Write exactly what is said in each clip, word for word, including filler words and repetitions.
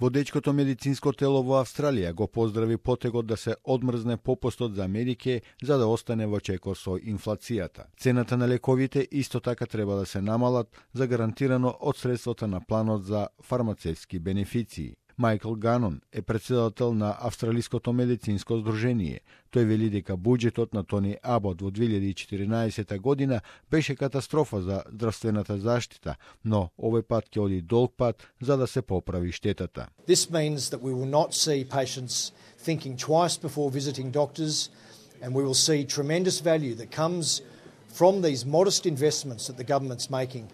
Водечкото медицинско тело во Австралија го поздрави потегот да се одмрзне попустот за Медикеј за да остане во чекор со инфлацијата. Цената на лековите исто така треба да се намалат за гарантирано од средствата на планот за фармацевски бенефиции. Майкл Ганон е председател на Австралиското медицинско здружение. Тој вели дека буџетот на Тони Абот во две илјади и четиринаесета година беше катастрофа за здравствената заштита, но овој пат ќе оди долг пат за да се поправи штетата. This means that we will not see patients thinking twice before visiting doctors, and we will see tremendous value that comes from these modest investments that the government's making.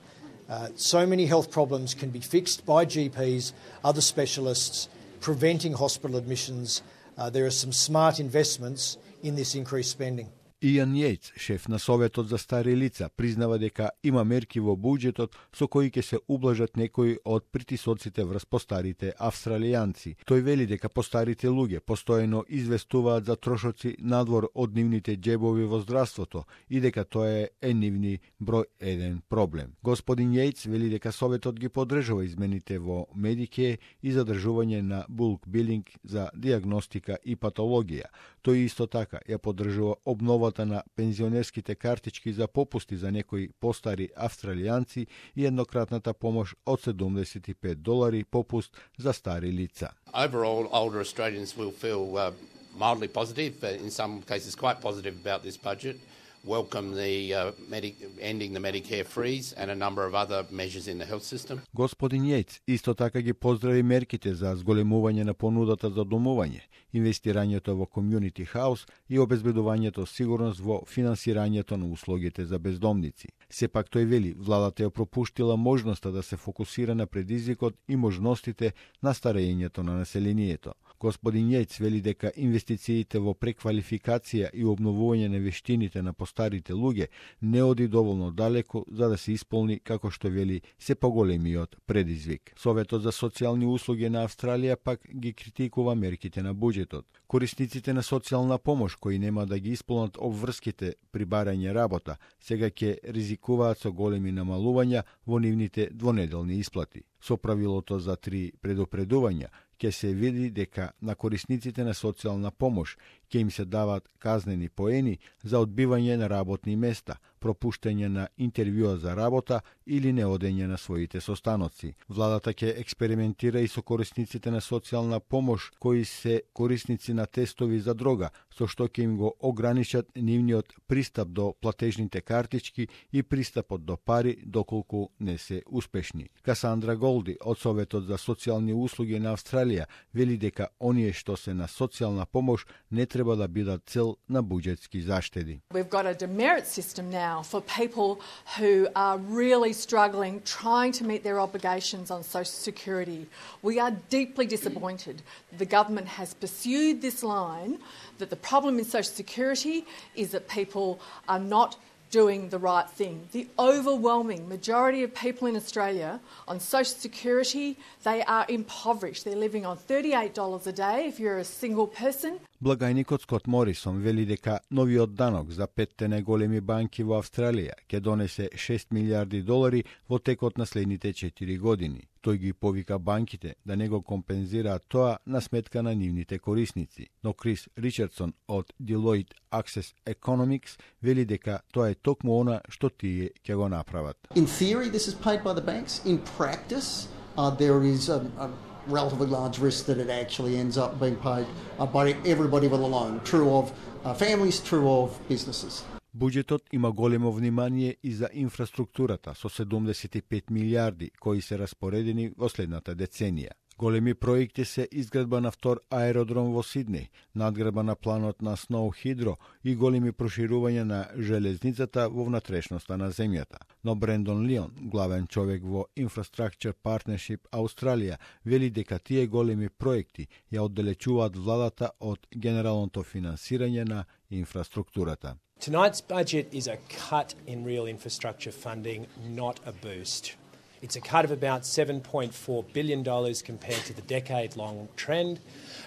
Uh, so many health problems can be fixed by G Ps, other specialists, preventing hospital admissions. Uh, there are some smart investments in this increased spending. Иан Јејц, шеф на Советот за стари лица, признава дека има мерки во буџетот со кои ќе се ублажат некои од притисоците врз постарите австралијанци. Тој вели дека постарите луѓе постојано известуваат за трошоци надвор од нивните џебови во здравството и дека тоа е нивни број еден проблем. Господин Јејц вели дека Советот ги поддржува измените во Медикеј и задржување на булк билинг за диагностика и патологија. Тој исто така ја поддржува обнова на пензионерските картички за попусти за некои постари австралијанци и еднократната помош од седумдесет и пет долари попуст за стари лица. Overall, older Australians will feel uh, mildly positive, in some cases quite positive about this budget. Welcome the uh, Medi- ending the Medicare freeze and a number of other measures in the health system. Господин Јејц исто така ги поздрави мерките за зголемување на понудата за домување, инвестирањето во community house и обезбедувањето сигурност во финансирањето на услугите за бездомници. Сепак тој вели, владата ја пропуштила можноста да се фокусира на предизвикот и можностите на старењето на населението. Господин Јејц вели дека инвестициите во преквалификација и обновување на вештините на постарите луѓе не оди доволно далеко за да се исполни, како што вели, се поголемиот предизвик. Советот за социјални услуги на Австралија пак ги критикува мерките на буџетот. Корисниците на социјална помош кои нема да ги исполнат обврските при барање работа, сега ќе ризикуваат со големи намалувања во нивните двонеделни исплати. Со правилото за три предупредувања ќе се види дека на корисниците на социјална помош ќе им се дават казнени поени за одбивање на работни места, пропуштање на интервјуа за работа или неодење на своите состаноци. Владата ќе експериментира и со корисниците на социјална помош кои се корисници на тестови за дрога, со што ќе им го ограничат нивниот пристап до платежните картички и пристапот до пари доколку не се успешни. Касандра Голди од Советот за социјални услуги на Австралија вели дека оние што се на социјална помош не треба да бидат цел на буџетски заштеди. We've got a demerit system now for people who are really struggling trying to meet their obligations on social security. We are deeply disappointed the government has pursued this line that the problem in social security is that people are not doing the right thing. The overwhelming majority of people in Australia on social security, they are impoverished. They're living on thirty-eight dollars a day if you're a single person. Благајникот Скот Морисон вели дека новиот данок за петте најголеми банки во Австралија ќе донесе шест милијарди долари во текот на следните четири години. Тој ги повика банките да не го компензираат тоа на сметка на нивните корисници. Но Крис Ричардсон од Deloitte Access Economics вели дека тоа е токму она што тие ќе го направат. In theory this is paid by the banks. In practice uh, there is a, a relatively large risk that it actually ends up being paid uh, by everybody with a loan. True of uh, families, true of businesses. Буџетот има големо внимание и за инфраструктурата со седумдесет и пет милијарди кои се распоредени во следната деценија. Големи проекти се изградба на втор аеродром во Сиднеј, надградба на планот на Сноу Хидро и големи проширувања на железницата во внатрешноста на земјата. Но Брендон Лион, главен човек во Infrastructure Partnership Australia, вели дека тие големи проекти ја оддалечуваат владата од генералното финансирање на инфраструктурата. Tonight's budget is a cut in real infrastructure funding, not a boost. It's a cut of about seven point four billion dollars compared to the decade-long trend,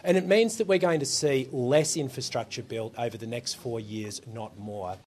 and it means that we're going to see less infrastructure built over the next four years, not more.